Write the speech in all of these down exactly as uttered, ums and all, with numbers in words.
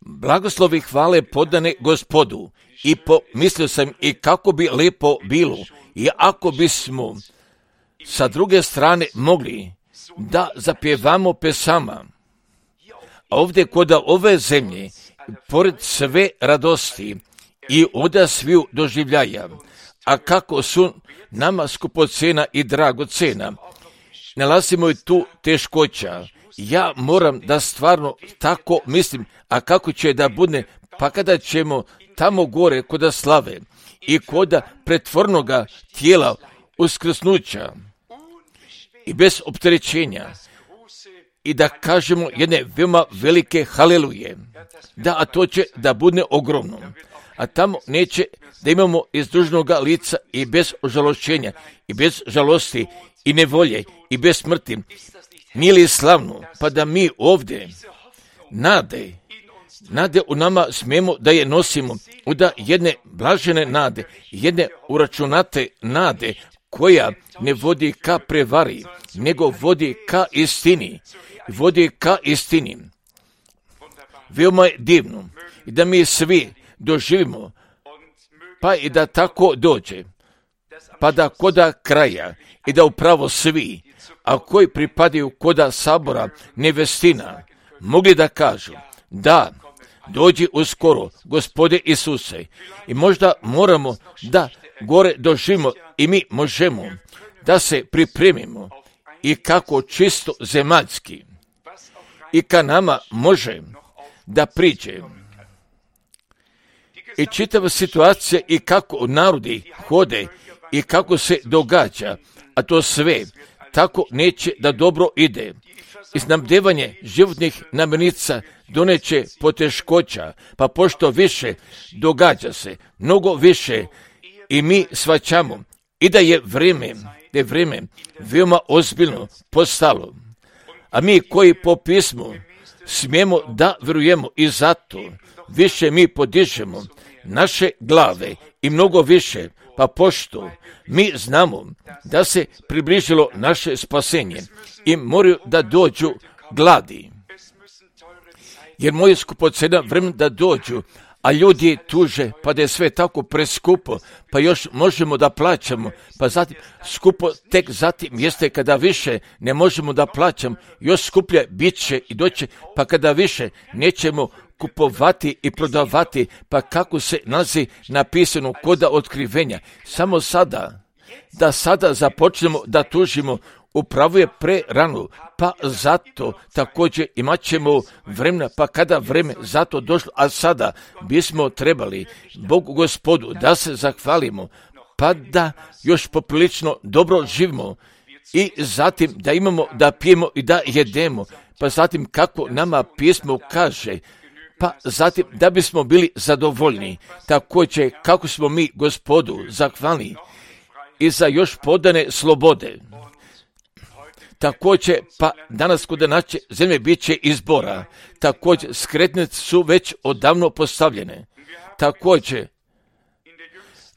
Blagoslovi hvale podane Gospodu. I pomislio sam i kako bi lepo bilo i ako bismo sa druge strane mogli da zapjevamo pesama. A ovdje kod ove zemlje, pored sve radosti i oda sviju doživljaja, a kako su nama skupocena i dragocena, nalazimo i tu teškoća. Ja moram da stvarno tako mislim, a kako će da bude, pa kada ćemo tamo gore koda slave i koda pretvornoga tijela uskrsnuća i bez opterećenja i da kažemo jedne veoma velike haleluje, da a to će da bude ogromno, a tamo neće da imamo iz dužnoga lica i bez ožalošćenja i bez žalosti i nevolje i bez smrti. Nije li slavno, pa da mi ovdje nade, nade u nama smijemo da je nosimo, da jedne blažene nade, jedne uračunate nade, koja ne vodi ka prevari, nego vodi ka istini, vodi ka istini. Veoma je divno i da mi svi doživimo, pa i da tako dođe, pa da koda kraja i da upravo svi, a koji pripadaju koda sabora nevestina, mogli da kažu, da, dođi uskoro, Gospode Isuse, i možda moramo da gore doživimo i mi možemo da se pripremimo i kako čisto zemaljski i ka nama može da priđe. I čitava situacija i kako narodi hode i kako se događa, a to sve tako neće da dobro ide. I snabdevanje životnih namirnica doneće poteškoća, pa pošto više događa se, mnogo više i mi shvaćamo i da je vrijeme, da je vrijeme veoma ozbiljno postalo. A mi koji po pismu smijemo da vjerujemo i zato više mi podižemo naše glave i mnogo više, pa pošto mi znamo da se približilo naše spasenje i moraju da dođu gladi. Jer moje skupocena vremena da dođu, a ljudi tuže, pa da je sve tako preskupo, pa još možemo da plaćamo, pa zatim skupo tek zatim jeste kada više ne možemo da plaćamo, još skuplje bit će i doće, pa kada više nećemo kupovati i prodavati, pa kako se nalazi napisano koda otkrivenja. Samo sada, da sada započnemo da tužimo, upravo je pre rano, pa zato također imat ćemo vremena, pa kada vreme zato došlo, a sada bismo trebali Bogu Gospodu da se zahvalimo, pa da još poprilično dobro živimo i zatim da imamo da pijemo i da jedemo, pa zatim kako nama pismo kaže, pa zatim da bismo bili zadovoljni, također kako smo mi Gospodu zahvalni i za još podane slobode. Također, pa danas kod naše zemlje bit će izbora. Također, skretnice su već odavno postavljene. Također,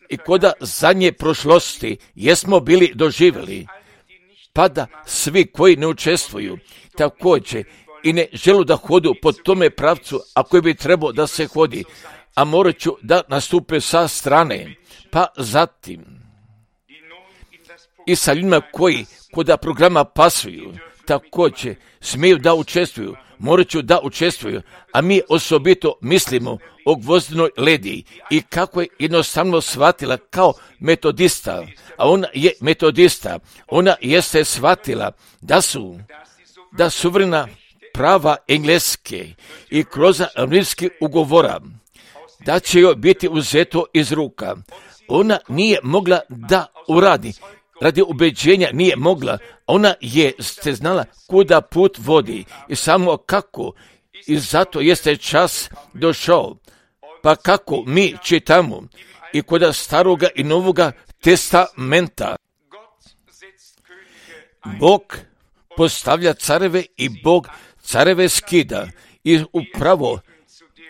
i koda zadnje prošlosti jesmo bili doživjeli, pa da svi koji ne učestvuju, također, i ne želu da hodu po tome pravcu, a koji bi trebao da se hodi, a morat ću da nastupe sa strane, pa zatim i sa ljudima koji koda programa pasuju, također smiju da učestvuju, morat ću da učestvuju, a mi osobito mislimo o Gvozdinoj Ledi i kako je jednostavno shvatila kao metodista, a ona je metodista, ona jeste shvatila da su, da suverena prava engleske i kroz rimski ugovora, da će joj biti uzeto iz ruka. Ona nije mogla da uradi, radi ubeđenja nije mogla, ona je ste znala kuda put vodi i samo kako, i zato jeste čas došao. Pa kako mi čitamo i kod staroga i novoga testamenta, Bog postavlja careve i Bog careve skida i upravo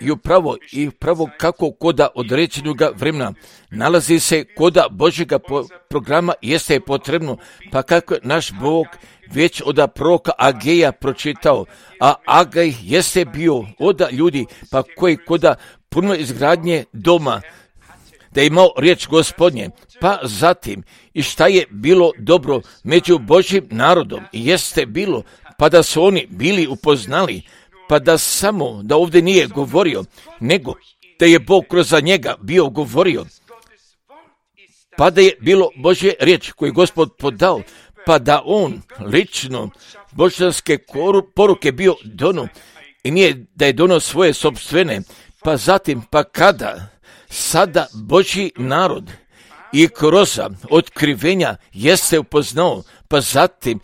I upravo, i upravo kako koda određenog vremena nalazi se koda Božjega po, programa jeste potrebno, pa kako naš Bog već od proroka Ageja pročitao, a Agaj jeste bio od ljudi pa koji koda puno izgradnje doma, da je imao riječ Gospodnje, pa zatim i šta je bilo dobro među Božjim narodom, jeste bilo, pa da su oni bili upoznali, pa da samo, da ovdje nije govorio, nego da je Bog kroz njega bio govorio, pa da je bilo Božje riječ koju Gospod podao, pa da on lično božanske poruke bio dono, i nije da je dono svoje sopstvene, pa zatim, pa kada sada Božji narod i kroz otkrivenja jeste upoznao, pa zatim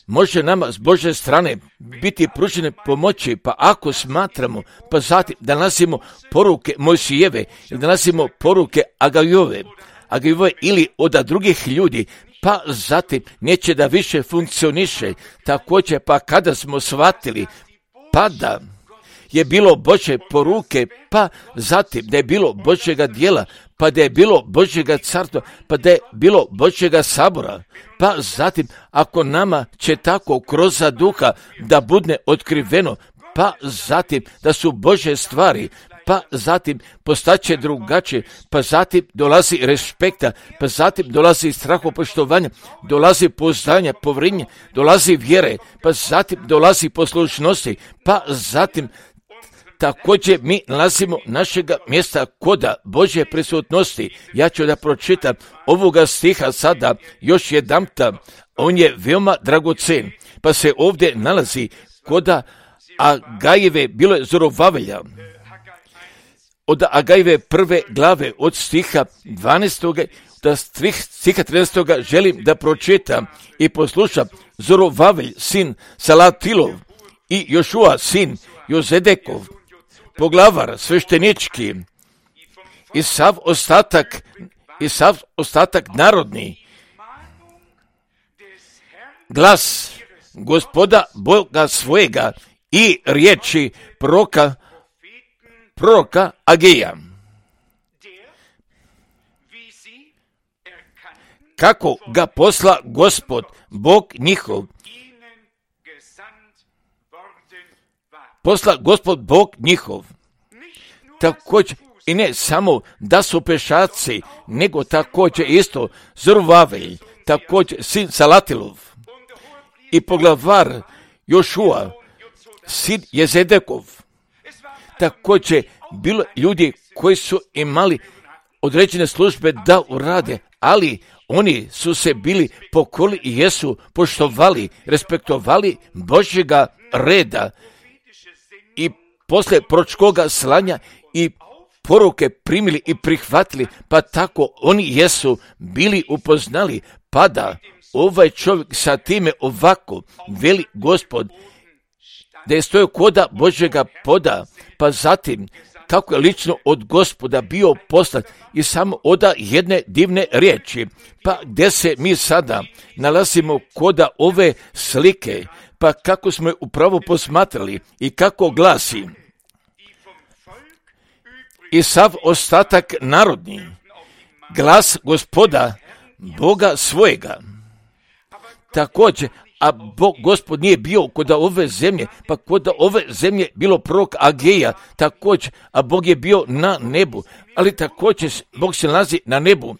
može nama s Božje strane biti pružene pomoći, pa ako smatramo, pa zatim da nalazimo poruke Mojsijeve, ili da nalazimo poruke Agajove, Agajove ili od drugih ljudi, pa zatim neće da više funkcioniše. Također, pa kada smo shvatili, pa da je bilo Božje poruke, pa zatim da je bilo Božjega djela, pa da je bilo Božjega carstva, pa da je bilo Božjega sabora, pa zatim ako nama će tako kroz duha da bude otkriveno, pa zatim da su Božje stvari, pa zatim postaće drugačije, pa zatim dolazi respekta, pa zatim dolazi strahopoštovanja, dolazi poznanja, povrinje, dolazi vjere, pa zatim dolazi poslušnosti, pa zatim također mi nalazimo našega mjesta koda Božje prisutnosti. Ja ću da pročitam ovoga stiha sada još jedanputa, on je veoma dragocen, pa se ovdje nalazi koda Agajeve, bilo je Zorovavelja, od Agajeve prve glave od stiha dvanaestog da stiha trinaestog želim da pročitam i poslušam. Zorovavelj, sin Salatilov, i Jošua, sin Jozedekov, poglavar sveštenički, i sav ostatak, i sav ostatak narodni, glas Gospoda Boga svojega i riječi proroka, proroka Ageja. Kako ga posla Gospod, Bog njihov, posla Gospod Bog njihov. Također, i ne samo da su pešaci, nego također isto Zorovavelj, također sin Salatilov, i poglavar Jošua, sin Jezedekov. Također, bilo ljudi koji su imali određene službe da urade, ali oni su se bili pokorili i jesu poštovali, respektovali Božjega reda i posle proročkoga slanja i poruke primili i prihvatili, pa tako oni jesu bili upoznali, pa da ovaj čovjek sa time ovako veli Gospod, da je stojao koda Božjega poda, pa zatim kako je lično od Gospoda bio poslat i samo oda jedne divne riječi, pa gdje se mi sada nalazimo koda ove slike, pa kako smo je upravo posmatrali i kako glasi: i sav ostatak narodni, glas Gospoda Boga svojega. Također, a Bog Gospod nije bio kod ove zemlje, pa kod ove zemlje bilo prorok Ageja, također, a Bog je bio na nebu, ali također Bog se nalazi na nebu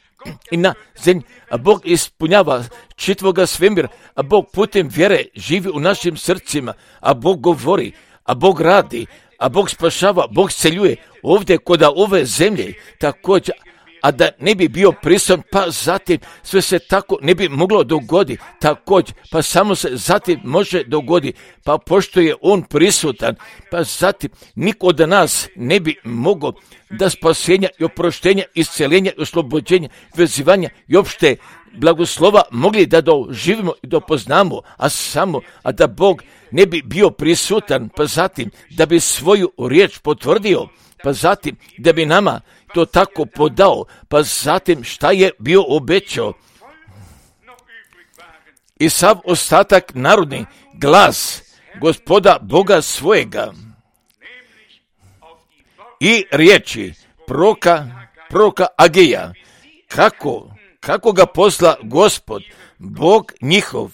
i na zemlji, a Bog ispunjava čitvoga svemira, a Bog putem vjere živi u našim srcima, a Bog govori, a Bog radi, a Bog spašava, Bog celjuje ovdje kod ove zemlje, također, a da ne bi bio prisutan, pa zatim sve se tako ne bi moglo dogoditi, također, pa samo se zatim može dogoditi, pa pošto je on prisutan, pa zatim niko od nas ne bi mogao da spasenja i oproštenja, isceljenja i oslobođenja, vezivanja i opšte blagoslova mogli da doživimo i dopoznamo, a samo, a da Bog ne bi bio prisutan, pa zatim da bi svoju riječ potvrdio, pa zatim da bi nama to tako podao, pa zatim šta je bio obećao. I sav ostatak narodni, glas Gospoda Boga svojega i riječi proroka, proroka Ageja, kako, kako ga posla Gospod, Bog njihov.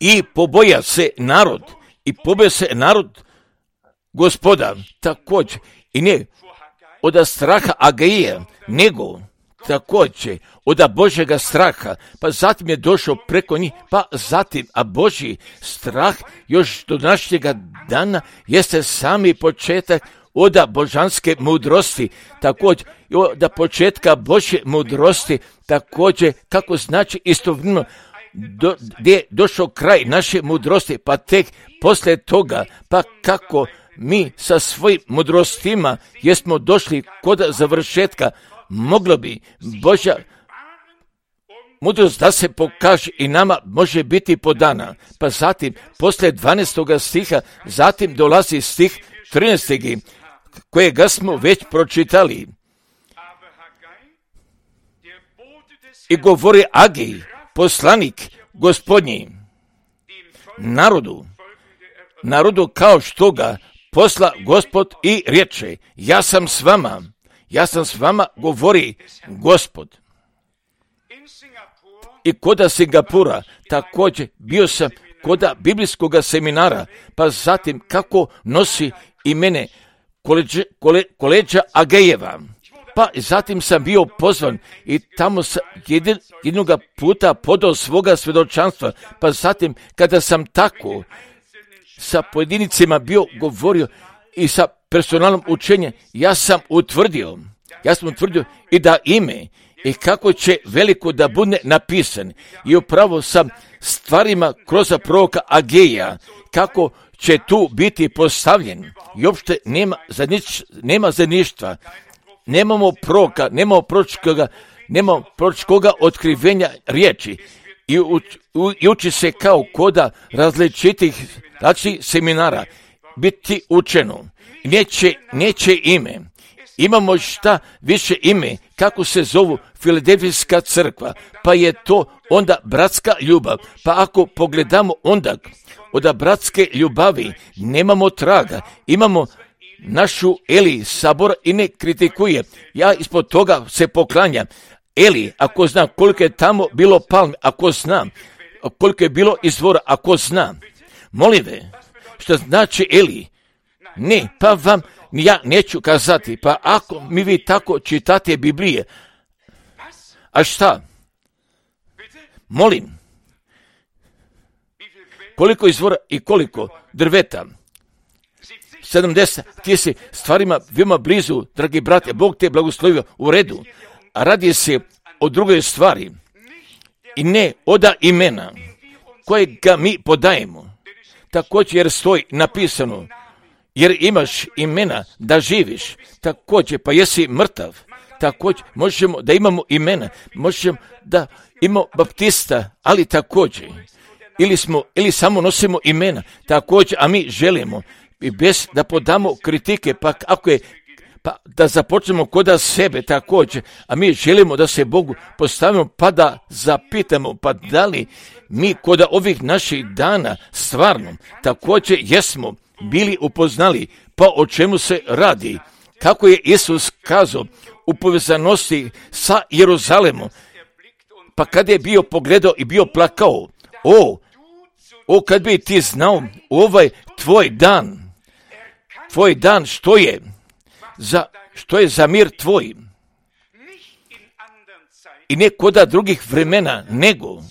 i poboja se narod, i poboja se narod Gospoda, također, i ne od straha Agaija, nego također od Božjega straha, pa zatim je došao preko njih, pa zatim, a Božji strah još do današnjega dana jeste sami početak od božanske mudrosti, također od početka Božje mudrosti, također kako znači istovremeno do, gdje je došao kraj naše mudrosti, pa tek poslije toga, pa kako mi sa svojim mudrostima jesmo došli kod završetka, moglo bi Božja mudrost da se pokaže i nama može biti podana. Pa zatim, poslije dvanaestoga stiha, zatim dolazi stih trinaestog kojega smo već pročitali. I govori Agij, poslanik Gospodnji, narodu, narodu kao što ga posla Gospod i riječe, ja sam s vama, ja sam s vama, govori Gospod. I koda Singapura, također bio sam koda biblijskog seminara, pa zatim kako nosi imene koleđa, kole, koleđa Agejeva. Pa zatim sam bio pozvan i tamo sam jedin, jednoga puta podao svoga svjedočanstva, pa zatim kada sam tako sa pojedinicima bio govorio i sa personalnom učenjem, ja sam utvrdio, ja sam utvrdio i da ime i kako će veliko da bude napisan. I upravo sam stvarima kroz proroka Ageja, kako će tu biti postavljen. I uopšte nema, zanič, nema zaništva, nemamo proroka, nemamo proročkoga, nemamo proročkoga otkrivenja riječi. I, u, u, i uči se kao koda različitih znači seminara biti učeno. Neće, neće ime. Imamo šta više ime, kako se zovu Filadelfijska crkva, pa je to onda bratska ljubav. Pa ako pogledamo onda od bratske ljubavi nemamo traga, imamo našu Eli sabor i ne kritikuje. Ja ispod toga se poklanjam. Eli, ako znam koliko je tamo bilo palme, ako znam koliko je bilo izvora, ako znam. Molim ve, što znači Eli? Ne, pa vam ja neću kazati, pa ako mi vi tako čitate Biblije, a šta? Molim, koliko izvora i koliko drveta? sedamdeset, ti si stvarima veoma blizu, dragi brate, Bog te blagoslovio u redu, a radi se o drugoj stvari i ne oda imena kojega mi podajemo. Također jer stoji napisano, jer imaš imena da živiš, također pa jesi mrtav, također možemo da imamo imena, možemo da imamo baptista, ali također, ili smo, ili samo nosimo imena, također, a mi želimo, i bez da podamo kritike, pa ako je, pa da započnemo koda sebe također, a mi želimo da se Bogu postavimo, pa da zapitamo, pa da li mi koda ovih naših dana stvarno također jesmo bili upoznali, pa o čemu se radi, kako je Isus kazao u povezanosti sa Jeruzalemom, pa kad je bio pogledao i bio plakao, o, o kad bi ti znao ovaj tvoj dan, tvoj dan što je za, što je za mir tvoj, i ne koda drugih vremena, nego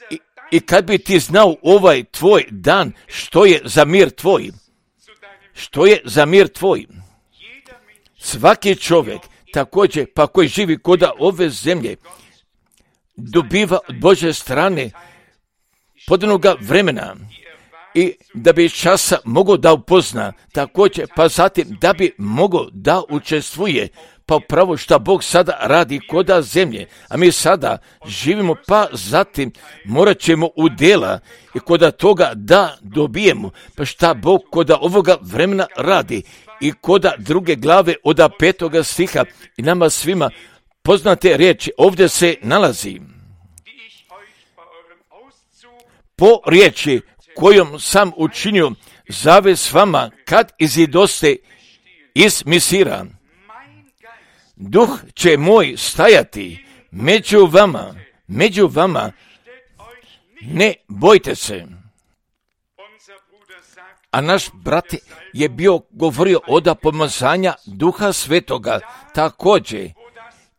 i, i kad bi ti znao ovaj tvoj dan što je za mir tvoj, što je za mir tvoj. Svaki čovjek također, pa koji živi koda ove zemlje, dobiva od Božje strane podanoga vremena i da bi časa mogao da upozna, također pa zatim da bi mogao da učestvuje, pa upravo što Bog sada radi koda zemlje, a mi sada živimo, pa zatim morat ćemo u djela i koda toga da dobijemo, pa šta Bog koda ovoga vremena radi i koda druge glave od petoga stiha i nama svima poznate riječi ovdje se nalazi. Po riječi kojom sam učinio zavez s vama kad izidoste iz Misira, duh će moj stajati među vama, među vama ne bojte se. A naš brat je bio govorio od pomazanja Duha Svetoga također.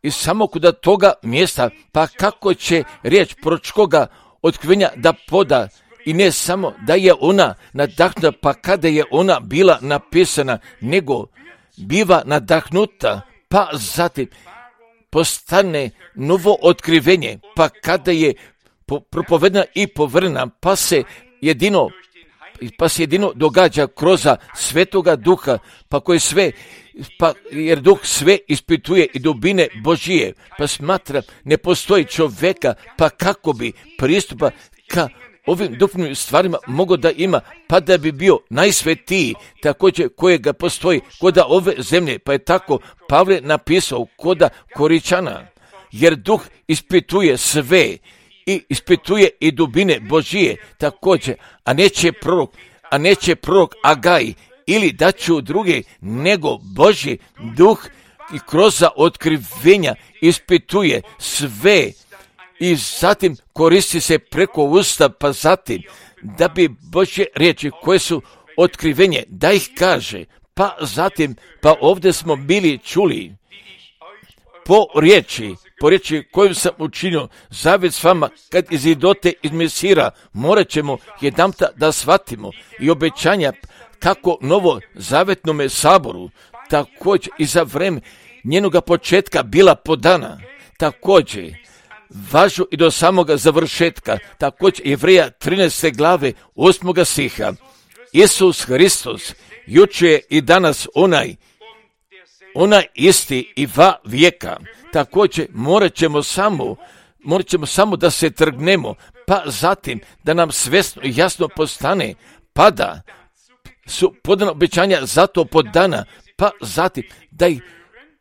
I samo kod toga mjesta, pa kako će riječ proročkoga otkrivenja da poda, i ne samo da je ona nadahnuta, pa kada je ona bila napisana, nego biva nadahnuta, pa zatim postane novo otkrivenje, pa kada je propovedena i povrna, pa se jedino pa se jedino događa kroz Svetoga Duha, pa koji sve, pa jer Duh sve ispituje i dubine Božije, pa smatra ne postoji čovjeka, pa kako bi pristupa ka ovim duhovnim stvarima mogo da ima, pa da bi bio najsvetiji, također kojega postoji koda ove zemlje, pa je tako Pavle napisao koda Koričana, jer Duh ispituje sve i ispituje i dubine Božije također, a neće prorok, a neće prorok Agaj ili da ću druge, nego Božji Duh i kroz otkrivenja ispituje sve i zatim koristi se preko usta, pa zatim da bi Božje riječi koje su otkrivenje, da ih kaže, pa zatim, pa ovdje smo bili čuli po riječi, po riječi koju sam učinio zavjet s vama kad izidote iz Mesira, morat ćemo jedanputa da shvatimo i obećanja kako novo zavjetnome saboru, također i za vreme njenoga početka bila podana, također važu i do samoga završetka, također Jevreja trinaeste glave osmoga stiha. Isus Hristos, juče i danas onaj, onaj isti i va vijeka. Također morat ćemo samo, morat ćemo samo da se trgnemo, pa zatim da nam svjesno i jasno postane, pa da su podana obećanja zato podana, pa zatim da ih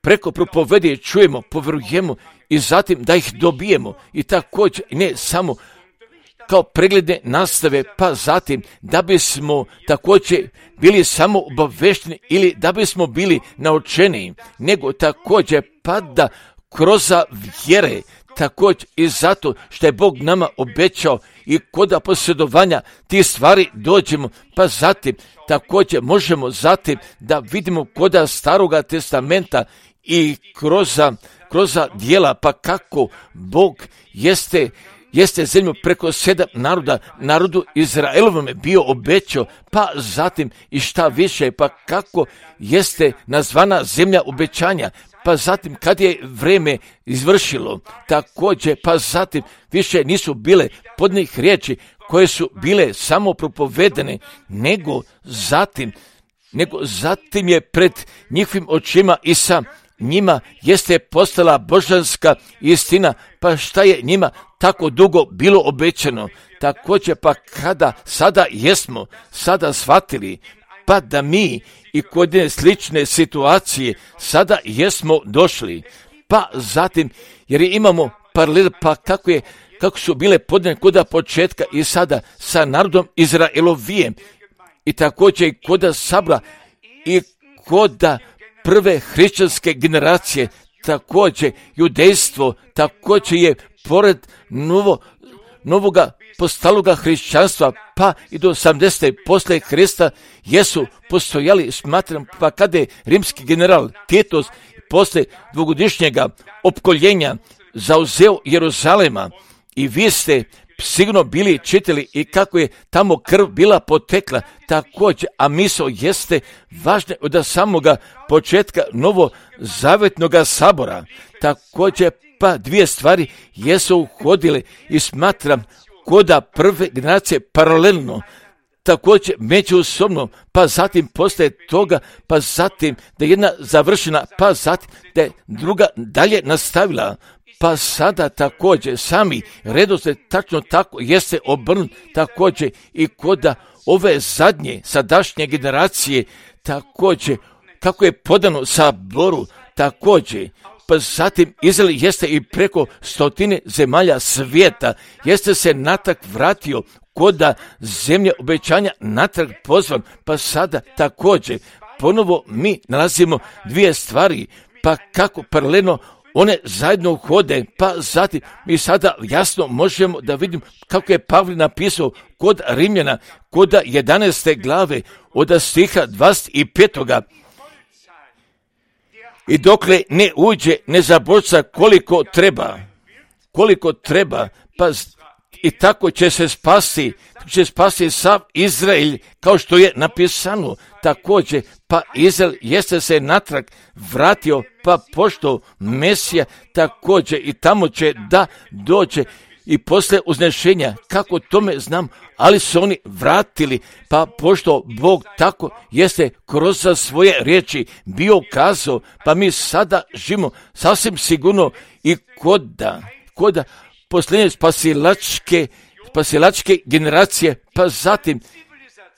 preko propovedije čujemo, povjerujemo i zatim da ih dobijemo i također ne samo kao pregledne nastave, pa zatim da bismo također bili samo obavešteni ili da bismo bili naučeni, nego također pa da kroz vjere, također i zato što je Bog nama obećao i kod posjedovanja tih stvari dođemo, pa zatim također možemo zatim da vidimo kod Staroga testamenta i kroz, kroz djela, pa kako Bog jeste, jeste zemlju preko sedam naroda, narodu Izraelovom bio obećao, pa zatim i šta više, pa kako jeste nazvana zemlja obećanja, pa zatim kad je vrijeme izvršilo, također, pa zatim više nisu bile podnih riječi koje su bile samo propovedene, nego zatim, nego zatim je pred njihovim očima i sa njima jeste postala božanska istina, pa šta je njima tako dugo bilo obećano, također pa kada sada jesmo, sada shvatili, pa da mi i kod jedne slične situacije sada jesmo došli, pa zatim, jer imamo paralel, pa kako je, kako su bile podane kod početka i sada sa narodom Izraelovijem i također i kod sabra i kod prve hrišćanske generacije, također judejstvo, također je pored novo, novoga postaloga hrišćanstva, pa i do osamdesete poslije Krista jesu postojali, smatram, pa kada je rimski general Titus poslije dvogodišnjega opkoljenja zauzeo Jeruzalema i vi ste sigurno bili čitali i kako je tamo krv bila potekla, također, a misao jeste važna od samoga početka novo zavjetnoga sabora, također pa dvije stvari jesu uhodile i smatram koda prve generacije paralelno, također međusobno, pa zatim postaje toga, pa zatim da je jedna završena, pa zatim da je druga dalje nastavila, pa sada također sami redoslijed tačno tako jeste obrnut, također i koda ove zadnje, sadašnje generacije, također kako je podano saboru, također, pa zatim Izrael jeste i preko stotine zemalja svijeta, jeste se natrag vratio koda zemlje obećanja natrag pozvan, pa sada također ponovo mi nalazimo dvije stvari, pa kako paralelno one zajedno hode, pa zatim mi sada jasno možemo da vidimo kako je Pavle napisao kod Rimljana, kod jedanaeste glave, od stiha dvadeset petoga. I dokle ne uđe nezaboravca koliko treba, koliko treba, pa i tako će se spasti, će spasti sav Izrael, kao što je napisano. Također, pa Izrael jeste se natrag vratio, pa pošto Mesija također i tamo će da dođe i posle uznešenja, kako tome znam, ali su oni vratili, pa pošto Bog tako jeste kroz svoje riječi bio kazao, pa mi sada živimo sasvim sigurno i koda, koda posljednje spasilačke, spasilačke generacije, pa zatim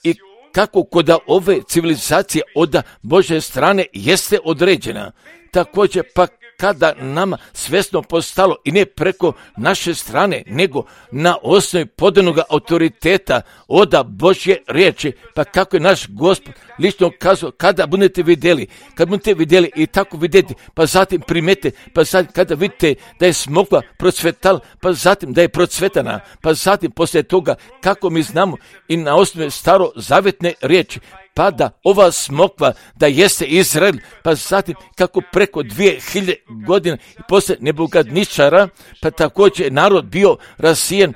i kako kod ove civilizacije od Božje strane jeste određena. Također, pa kada nama svjesno postalo i ne preko naše strane, nego na osnovi podanog autoriteta od Božje riječi, pa kako je naš Gospod lično kazao, kada budete vidjeli, kad budete vidjeli i tako vidjeti, pa zatim primete, pa zatim kada vidite da je smokva procvetala, pa zatim da je procvetana, pa zatim poslije toga kako mi znamo i na osnovi starozavjetne riječi, pa da ova smokva da jeste Izrael, pa zatim kako preko dvije hiljade godina i poslije Nebukadničara, pa također narod bio rasijen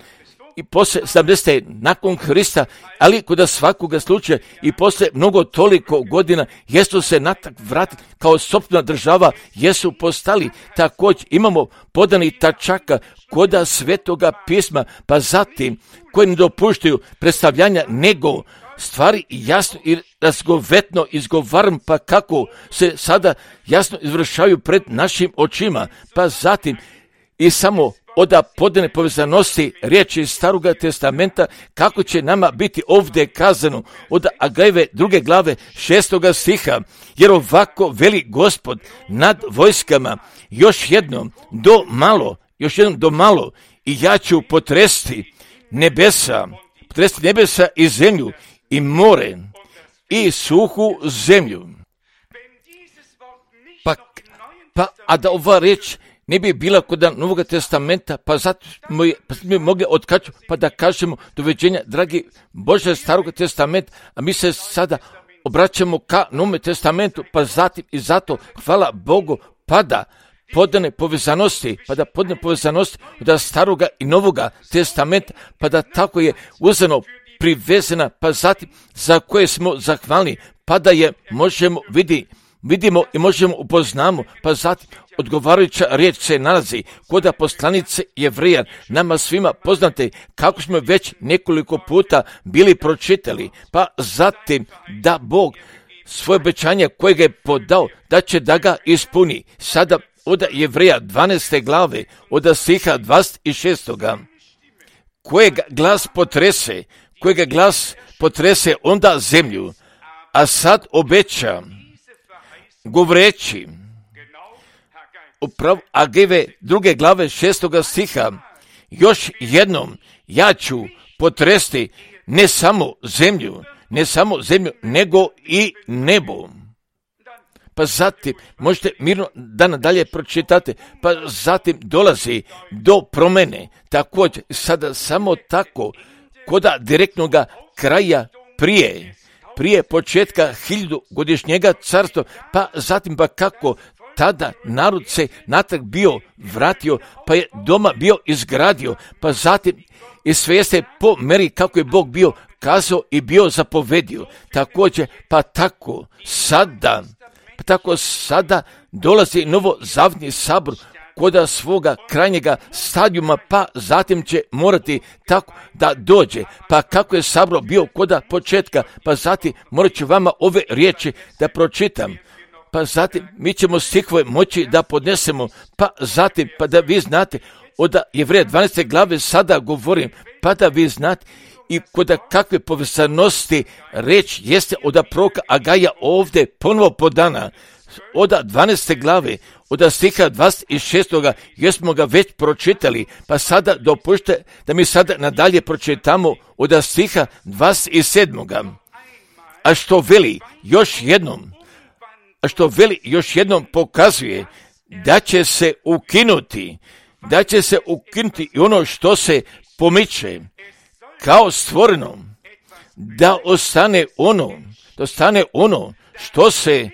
i poslije sedamdesete nakon Hrista, ali kod svakoga slučaja i poslije mnogo toliko godina jesu se natak vratiti kao sopstvena država, jesu postali. Također imamo podani tačaka koda Svetoga pisma, pa zatim koji ne dopuštaju predstavljanja nego stvari jasno i razgovetno izgovaram, pa kako se sada jasno izvršaju pred našim očima, pa zatim i samo od podane povezanosti riječi Staroga testamenta, kako će nama biti ovdje kazano od Agajeve druge glave šestoga stiha, jer ovako veli Gospod nad vojskama, još jednom do malo, još jednom do malo i ja ću potresti nebesa, potresti nebesa i zemlju i more i suhu zemlju. Pa, pa a da ova riječ ne bi bila kod Novog testamenta, pa zato smo pa mi mogli otkaču, pa da kažemo doviđenja, dragi Bože Starog testamenta, a mi se sada obraćamo ka Novom testamentu, pa zatim i zato hvala Bogu, pa da podane povezanosti, pa da podane povezanosti od Staroga i Novoga testamenta, pa da tako je uzeno privezena, pa zatim za koje smo zahvalni, pa da je možemo vidi, vidimo i možemo upoznamo, pa zatim odgovarajuća riječ se nalazi kod poslanice Jevreja, nama svima poznate, kako smo već nekoliko puta bili pročitali, pa zatim da Bog svoje obećanje kojeg je podao, da će da ga ispuni. Sada od Jevreja dvanaeste glave, od stiha dvadeset šestoga kojeg glas potrese, kojeg glas potrese onda zemlju, a sad obeća, govoreći, upravo Agajeve druge glave šestoga stiha, još jednom ja ću potresti ne samo zemlju, ne samo zemlju, nego i nebo. Pa zatim, možete mirno da nadalje pročitate, pa zatim dolazi do promene, također sada samo tako, koda direktnoga kraja prije, prije početka hiljadugodišnjega carstva, pa zatim pa kako tada narod se natrag bio vratio, pa je doma bio izgradio, pa zatim i sve jeste po meri kako je Bog bio kazao i bio zapovedio. Također, pa tako sada, pa tako sada dolazi novozavjetni sabor koda svoga krajnjega stadijuma, pa zatim će morati tako da dođe. Pa kako je sabor bio koda početka, pa zatim morat ću vama ove riječi da pročitam. Pa zatim mi ćemo stihove moći da podnesemo, pa zatim pa da vi znate, od Jevreja dvanaeste glave sada govorim, pa da vi znate i kod kakve povezanosti reč jeste od proroka Agaja ovdje ponovo podana. Od dvanaeste glave, od stiha dvadeset šestoga jer smo ga već pročitali, pa sada dopušte da mi sada nadalje pročitamo od stiha dvadeset sedmoga A što veli još jednom, a što veli još jednom pokazuje da će se ukinuti, da će se ukinuti i ono što se pomiče kao stvoreno, da ostane ono, da ostane ono što se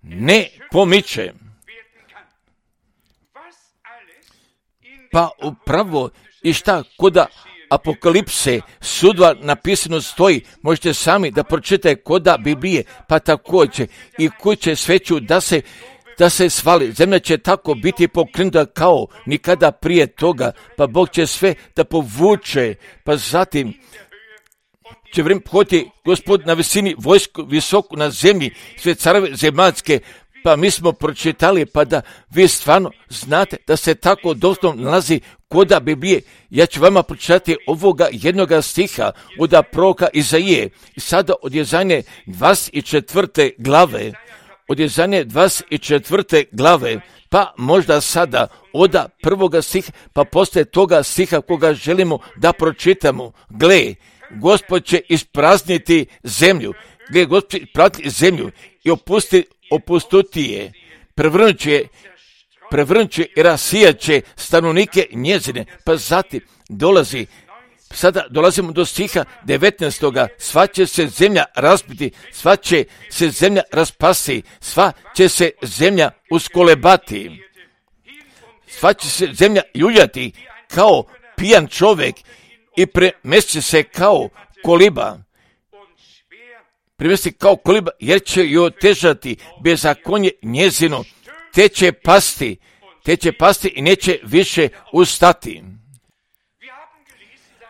ne pomiče. Pa upravo i šta koda Apokalipse sudva napisano stoji, možete sami da pročitate koda Biblije, pa također i kuće sveću da se da se svali. Zemlja će tako biti pokrenuta kao nikada prije toga, pa Bog će sve da povuče, pa zatim će vrijeme pohodi Gospod na visini, vojsku visoku na zemlji, sve careve zemaljske, pa mi smo pročitali, pa da vi stvarno znate da se tako doslovno nalazi koda Biblije. Ja ću vama pročitati ovoga jednoga stiha od proroka Izaije, i sada od Jezaje dvadeset četvrte glave, od Jezaje dvadeset četvrte glave, pa možda sada od prvoga stiha, pa poslije toga stiha koga želimo da pročitamo. Gle, Gospod će isprazniti zemlju, gle, Gospod će isprazniti zemlju i opusti, opustuti je, prevrnut će, prevrnut će i rasijat će stanovnike njezine, pa zatim dolazi, sada dolazimo do stiha devetnaestoga, sva će se zemlja razbiti, sva će se zemlja raspasti, sva će se zemlja uskolebati, sva će se zemlja ljuljati kao pijan čovjek i premesti se kao koliba. Premesti kao koliba, jer će joj otežati bezakonje njezino, te će pasti, te će pasti i neće više ustati.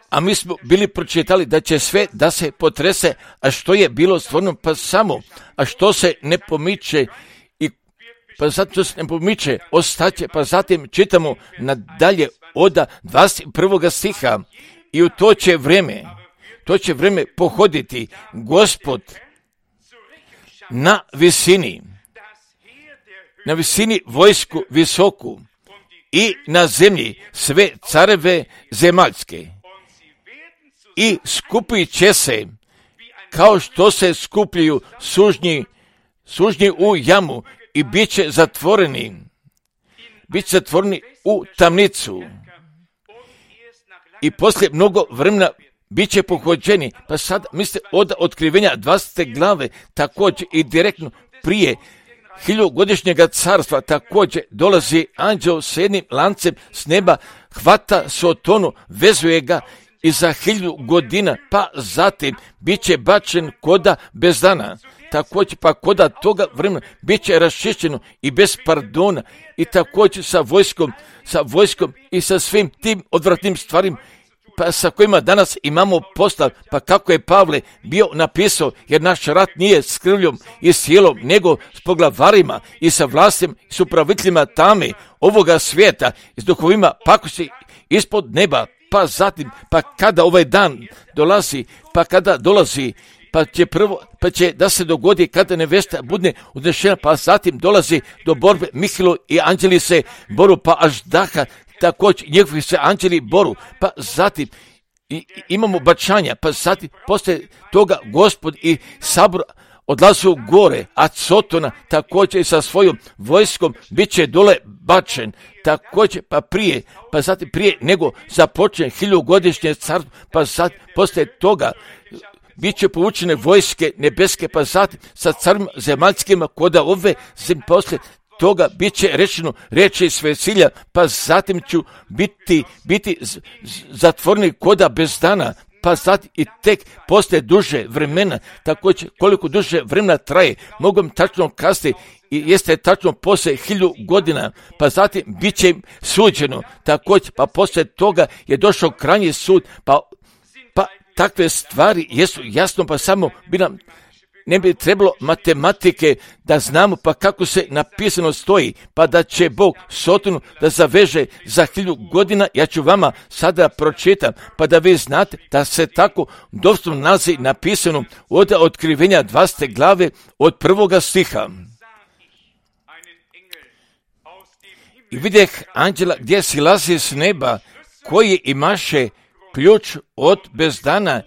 A mi smo bili pročitali da će sve da se potrese, a što je bilo stvoreno pa samo, a što se ne pomiče, i pa zato se ne pomiče, ostaće, pa zatim čitamo nadalje od dvadeset prvog stiha, i u to će vreme, to će vreme pohoditi Gospod na visini, na visini vojsku visoku i na zemlji sve careve zemaljske. I skupit će se kao što se skupljaju sužnji, sužnji u jamu, i bit će zatvoreni, bit će zatvoreni u tamnicu. I poslije mnogo vremena bit će pohođeni. Pa sad mislite od otkrivenja dvadesete glave, također i direktno prije hiljugodišnjega carstva, također dolazi anđeo s jednim lancem s neba, hvata Sotonu, vezuje ga i za hiljadu godina, pa zatim bit će bačen koda bez dana. Također pa koda toga vremena bit će raščišćeno i bez pardona, i također sa vojskom, sa vojskom i sa svim tim odvratnim stvarima, pa sa kojima danas imamo posla, pa kako je Pavle bio napisao, jer naš rat nije s krvljom i sjelom, nego s poglavarima i sa vlastima i s upraviteljima tame ovoga svijeta i s duhovima pakosti ispod neba. Pa zatim, pa kada ovaj dan dolazi, pa kada dolazi, pa će prvo, pa će da se dogodi kada nevesta bude odnešena, pa zatim dolazi do borbe, Mihajlo i anđeli se boru, pa Aždaha, također njegovi se anđeli boru, pa zatim i, i imamo bačanja, pa zatim poslije toga Gospod i sabor odlazu gore, a Sotona također sa svojom vojskom bit će dole bačen, također pa prije, pa zatim prije nego započne hiljugodišnje carstvo, pa zatim poslije toga bit će povučene vojske nebeske, pa zatim sa carima zemaljskima koda ove zemlje, poslije toga bit će rečeno reči Svesilja, pa zatim ću biti, biti z, z, zatvoreni koda bez dana, pa zatim i tek poslije duže vremena, također koliko duže vremena traje, mogu im tačno kazati, i jeste tačno poslije hilju godina, pa zatim bit će im suđeno, također pa poslije toga je došao krajnji sud, pa, pa takve stvari jesu jasno, pa samo bi nam ne bi trebalo matematike da znamo pa kako se napisano stoji, pa da će Bog Sotonu da zaveže za hilju godina. Ja ću vama sada pročitam, pa da vi znate da se tako doslovno nalazi napisano od otkrivenja dvadesete glave od prvoga stiha. I vidjeh anđela gdje silazi s neba, koji imaše ključ od bezdana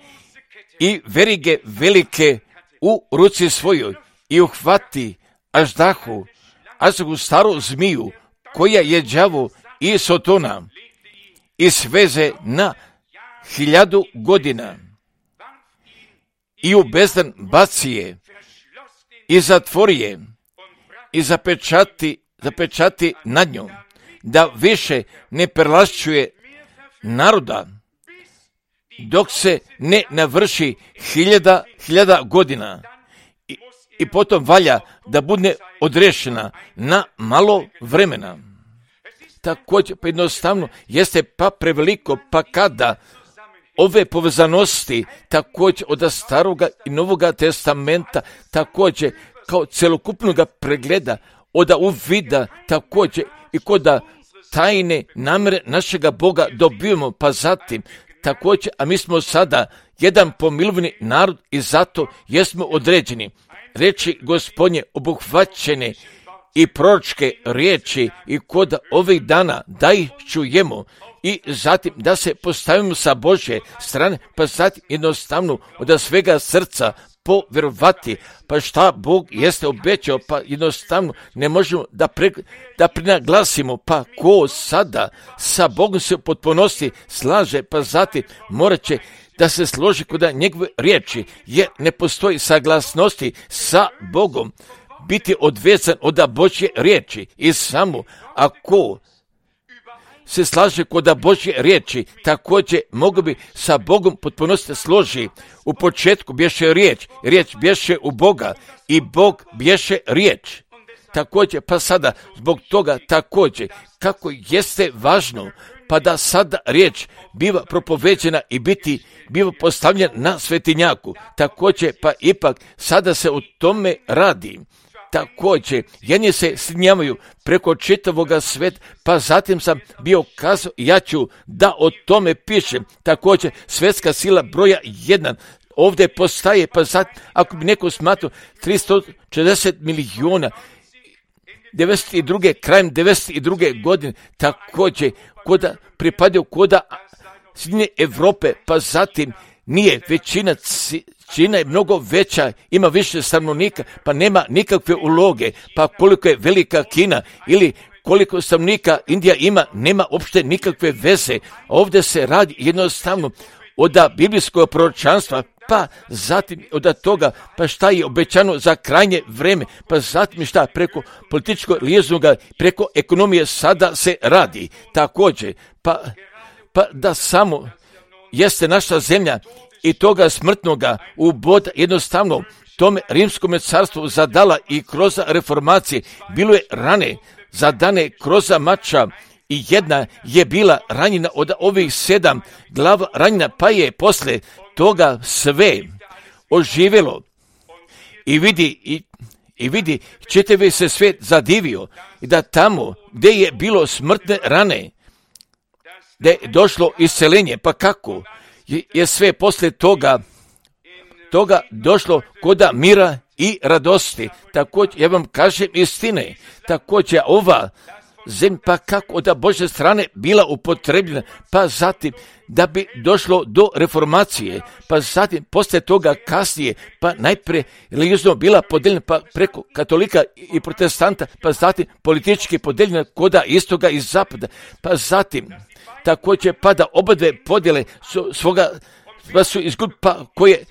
i verige velike u ruci svojoj, i uhvati Aždahu, Aždahu staru zmiju, koja je đavo i Sotona i sveze na hiljadu godina i u bezdan baci je i zatvori je i zapečati, zapečati nad njom, da više ne prelašćuje naroda, dok se ne navrši hiljada, hiljada godina i, i potom valja da bude odrešena na malo vremena. Također, pa jednostavno, jeste pa preveliko, pa kada ove povezanosti, također od staroga i novoga testamenta, također kao celokupnog pregleda, od uvida, također i kod tajne namere našega Boga dobijemo, pa zatim također, a mi smo sada jedan pomilovni narod i zato jesmo određeni. Reči Gospodnje obuhvaćene i proročke riječi i kod ovih dana da ih čujemo i zatim da se postavimo sa Božje strane, pa zatim jednostavno od svega srca povjerovati, pa šta Bog jeste obećao, pa jednostavno ne možemo da, pre, da prinaglasimo, pa ko sada sa Bogom se u potpunosti slaže, pa zatim morat će da se složi kod njegove riječi, jer ne postoji saglasnosti sa Bogom, biti odvezan od Božje riječi i samo ako se slaže kod Božje riječi, također mogu bi sa Bogom potpunosti složi. U početku bješe riječ, riječ bješe u Boga i Bog bješe riječ. Također, pa sada zbog toga također kako jeste važno, pa da sada riječ biva propoveđena i biti biva postavljena na svetinjaku. Također, pa ipak sada se o tome radi. Također, jedni se snimaju preko čitavoga sveta, pa zatim sam bio kazao, ja ću da o tome pišem. Također, svjetska sila broja jedan ovdje postaje, pa zatim, ako bi neko smatrao tristo četrdeset milijuna, devedeset druge krajem devedeset druge godine, također, koda pripadaju koda Sjedinjene Europe, pa zatim nije većina, Čina je mnogo veća, ima više stanovnika, pa nema nikakve uloge, pa koliko je velika Kina ili koliko stanovnika Indija ima, nema uopšte nikakve veze. Ovdje se radi jednostavno od biblijskog proročanstva, pa zatim od toga, pa šta je obećano za krajnje vreme, pa zatim šta preko političkog lijeznoga, preko ekonomije sada se radi. Također, pa, pa da samo jeste naša zemlja i toga smrtnoga uboda jednostavno tome rimskom carstvu zadala i kroz reformacije bilo je rane zadane kroz mača i jedna je bila ranjena od ovih sedam glava ranjena, pa je posle toga sve oživjelo i vidi i, i vidi čitavi se svijet zadivio i da tamo gdje je bilo smrtne rane da je došlo isceljenje, pa kako je sve posle toga toga došlo koda mira i radosti. Također, ja vam kažem istine, također ova zemlja, pa kako od Božje strane bila upotrebljena, pa zatim da bi došlo do reformacije, pa zatim posle toga kasnije, pa najprije religiozno bila podeljena pa preko katolika i protestanta, pa zatim politički podeljena koda istoga i zapada, pa zatim također pa da oba dve podjele su svoga pa su izgubili, pa koje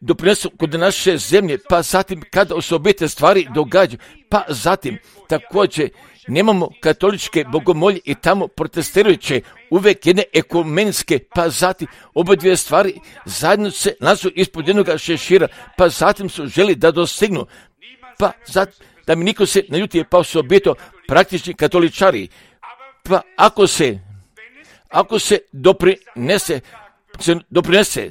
doprinesu kod naše zemlje, pa zatim kada osobite stvari događaju, pa zatim također nemamo katoličke bogomolje i tamo protestirajuće uvijek jedne ekumenske, pa zatim oba dvije stvari zajedno se nasu ispod jednog šešira, pa zatim su želi da dostignu, pa zatim da mi niko se naljuti, pa osobito praktični katoličari, pa ako se ako se doprinese se doprinese,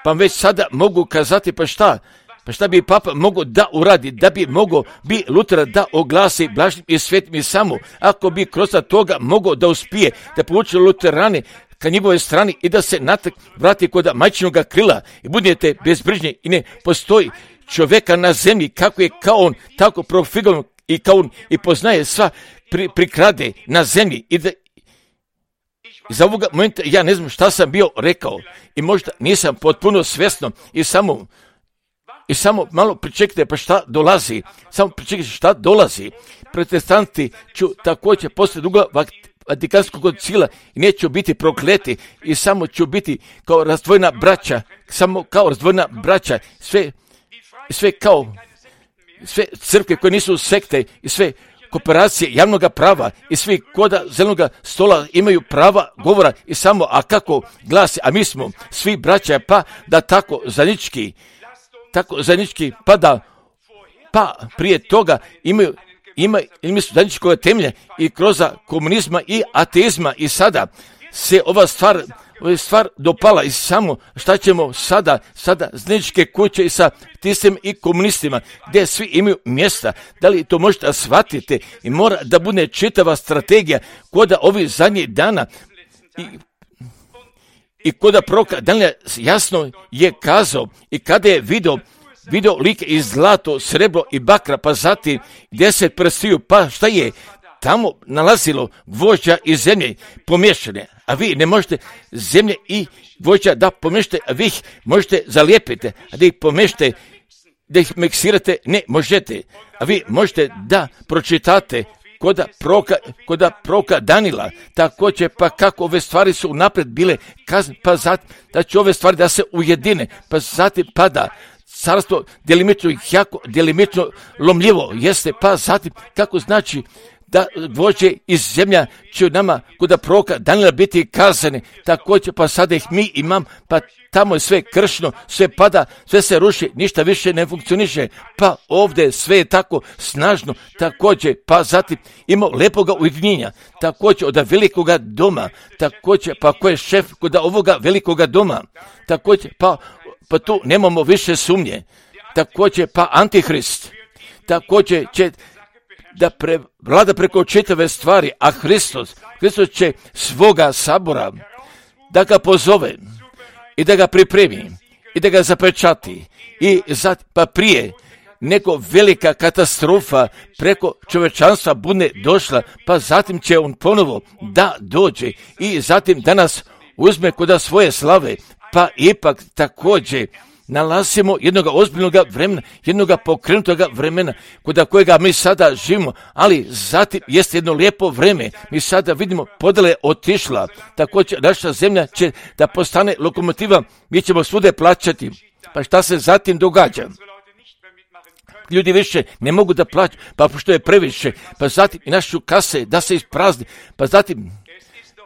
pa već sada mogu kazati, pa šta, pa šta bi papa mogao da uradi, da bi mogao bi Luter da oglasi blažnim i svetim i samo, ako bi kroz toga mogao da uspije, da povuče luterane ka njegove strani i da se natak vrati kod majčinog krila i budete bezbrižni i ne postoji čovjeka na zemlji kako je kao on, tako profigovan i kao on i poznaje sva pri, prikrade na zemlji i da iz ovoga momenta ja ne znam šta sam bio rekao i možda nisam potpuno svjesno i samo I samo malo pričekajte pa šta dolazi, samo pričekajte šta dolazi. Protestanti ću također poslije druga Vatikanskog koncila i neću biti prokleti i samo ću biti kao razdvojena braća, samo kao razdvojena braća, sve, sve kao sve crkve koje nisu sekte i sve kooperacije javnog prava i svi koda zelenog stola imaju prava govora i samo, a kako glasi, a mi smo svi braća, pa da tako zajednički, tako zajednički, pa da, pa prije toga imaju, ima, imaju zajedničkog temelja i kroz komunizma i ateizma i sada se ova stvar, ova stvar dopala i samo šta ćemo sada, sada zajedničke kuće i sa tistim i komunistima, gdje svi imaju mjesta. Da li to možete shvatiti i mora da bude čitava strategija koda ovih zadnjih dana i, i koda proka Danija jasno je kazao i kada je video video like iz zlato, srebro i bakra, pa zatim deset prstiju, pa šta je tamo nalazilo gvožđa i zemlje pomiješane, a vi ne možete zemlje i gvožđa da pomiješate, a vi ih možete zalijepiti, a da ih pomiješate, da ih miksirate, ne možete, a vi možete da pročitate koda proka, koda proka Danila, također pa kako ove stvari su napred bile kazne, pa zatim da će ove stvari da se ujedine, pa zatim pada carstvo delimično jako, delimično lomljivo jeste, pa zatim kako znači da gvožđe iz zemlja će nama kod proroka Danila biti kazane, također pa sada ih mi imam, pa tamo je sve kršno, sve pada, sve se ruši, ništa više ne funkcioniše, pa ovdje sve je tako snažno, također pa zatim ima lepoga ujedinjenja, također od velikoga doma, također pa ko je šef kod ovoga velikoga doma, također pa pa tu nemamo više sumnje, također pa Antihrist, također će da pre, vlada preko čitave stvari, a Hristos, Hristos će svoga sabora da ga pozove i da ga pripremi i da ga zapečati i zat, pa prije nego velika katastrofa preko čovečanstva bude došla, pa zatim će on ponovo da dođe i zatim da nas uzme kod svoje slave, pa ipak također nalazimo jednog ozbiljnog vremena, jednog pokrenutoga vremena kod kojega mi sada živimo, ali zatim jeste jedno lijepo vreme. Mi sada vidimo podjela je otišla, također naša zemlja će da postane lokomotiva, mi ćemo svude plaćati. Pa šta se zatim događa? Ljudi više ne mogu da plaćaju, pa što je previše, pa zatim i našu kase da se isprazni, pa zatim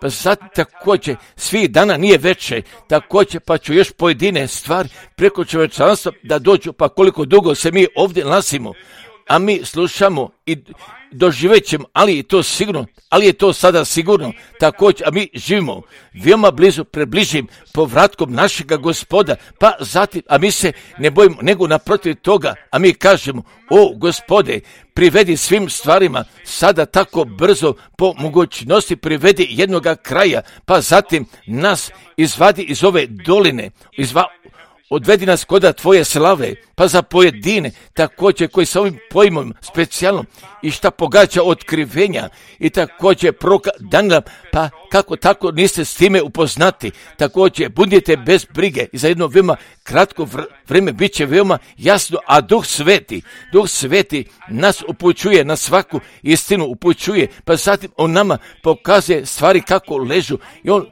Pa zatim također svih dana nije veće, također pa ću još pojedine stvari preko čovječanstva da dođu, pa koliko dugo se mi ovdje nalazimo, a mi slušamo i doživjet ćemo, ali je to sigurno, ali je to sada sigurno, također, a mi živimo veoma blizu pred bližim povratkom našega Gospoda, pa zatim, a mi se ne bojimo, nego naprotiv toga, a mi kažemo, o Gospode, privedi svim stvarima, sada tako brzo po mogućnosti privedi jednoga kraja, pa zatim nas izvadi iz ove doline, izva, odvedi nas koda tvoje slave, pa za pojedine, također koji sa ovim pojmom specijalnom i šta pogađa otkrivenja i također proka Danila, pa kako tako niste s time upoznati, također budite bez brige i za jedno veoma kratko vrijeme bit će veoma jasno, a Duh Sveti, Duh Sveti nas upućuje na svaku istinu, upućuje, pa zatim on nama pokazuje stvari kako ležu i on,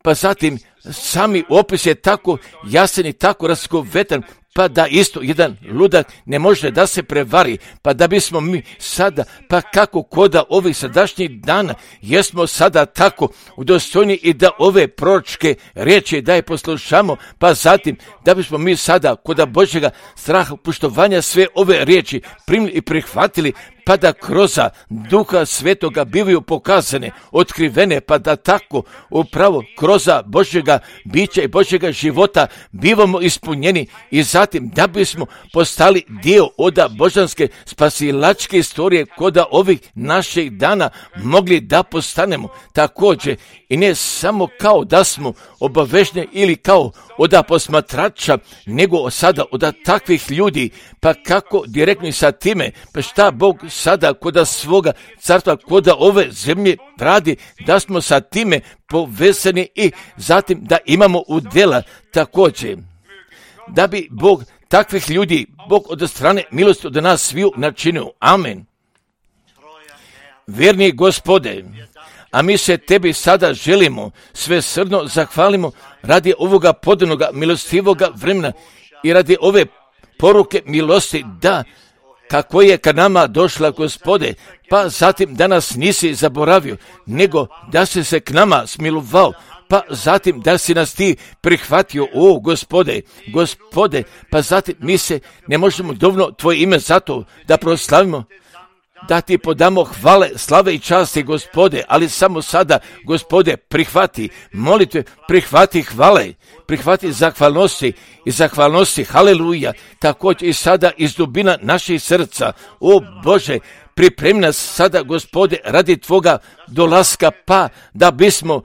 pa zatim sami opis je tako jasan i tako razgovetan, pa da isto jedan ludak ne može da se prevari, pa da bismo mi sada, pa kako koda ovih sadašnjih dana, jesmo sada tako udostojni i da ove proročke riječi da je poslušamo, pa zatim da bismo mi sada koda Božjega straha, poštovanja sve ove riječi primili i prihvatili, pa da kroz Duha Svetoga bivaju pokazane, otkrivene, pa da tako upravo kroz Božjega bića i Božjega života bivamo ispunjeni i zatim da bismo postali dio od božanske spasilačke istorije koda ovih naših dana mogli da postanemo također i ne samo kao da smo obavežni ili kao od posmatrača, nego sada od takvih ljudi, pa kako direktno i sa time, pa šta Bog sada koda svoga carstva, koda ove zemlje radi, da smo sa time povezani i zatim da imamo udjela također. Da bi Bog takvih ljudi Bog od strane milosti od nas sviju načinio. Amen. Vjerni Gospode, a mi se Tebi sada želimo svesrdno zahvalimo radi ovoga podanoga milostivoga vremena i radi ove poruke milosti, da kako je ka nama došla, Gospode, pa zatim da nas nisi zaboravio, nego da si se k nama smilovao, pa zatim da si nas ti prihvatio, o Gospode, Gospode, pa zatim mi se ne možemo dovoljno Tvoje ime zato da proslavimo, da Ti podamo hvale, slave i časti, Gospode, ali samo sada, Gospode, prihvati molitve, prihvati hvale, prihvati zahvalnosti i zahvalnosti, haleluja, također i sada iz dubina naših srca, o Bože, pripremi nas sada, Gospode, radi Tvoga dolaska, pa da bismo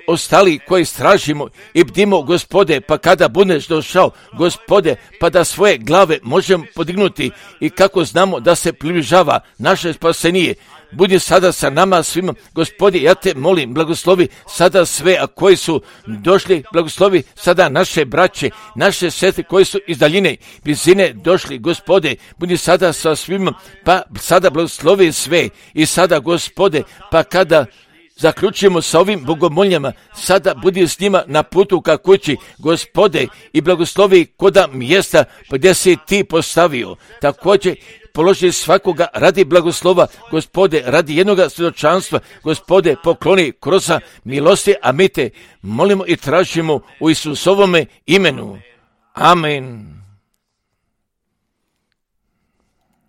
ostali koji stražimo i bdimo, Gospode, pa kada budeš došao, Gospode, pa da svoje glave možemo podignuti i kako znamo da se približava naše spasenije. Budi sada sa nama svima, Gospode, ja Te molim, blagoslovi sada sve, a koji su došli, blagoslovi sada naše braće, naše sestre koji su iz daljine, blizine došli, Gospode, budi sada sa svima, pa sada blagoslovi sve i sada, Gospode, pa kada zaključujemo sa ovim bogomoljama, sada budi s njima na putu ka kući, Gospode, i blagoslovi koda mjesta gdje si Ti postavio. Također položi svakoga radi blagoslova, Gospode, radi jednoga svjedočanstva, Gospode, pokloni kroza milosti, a mi Te molimo i tražimo u Isusovome imenu. Amen.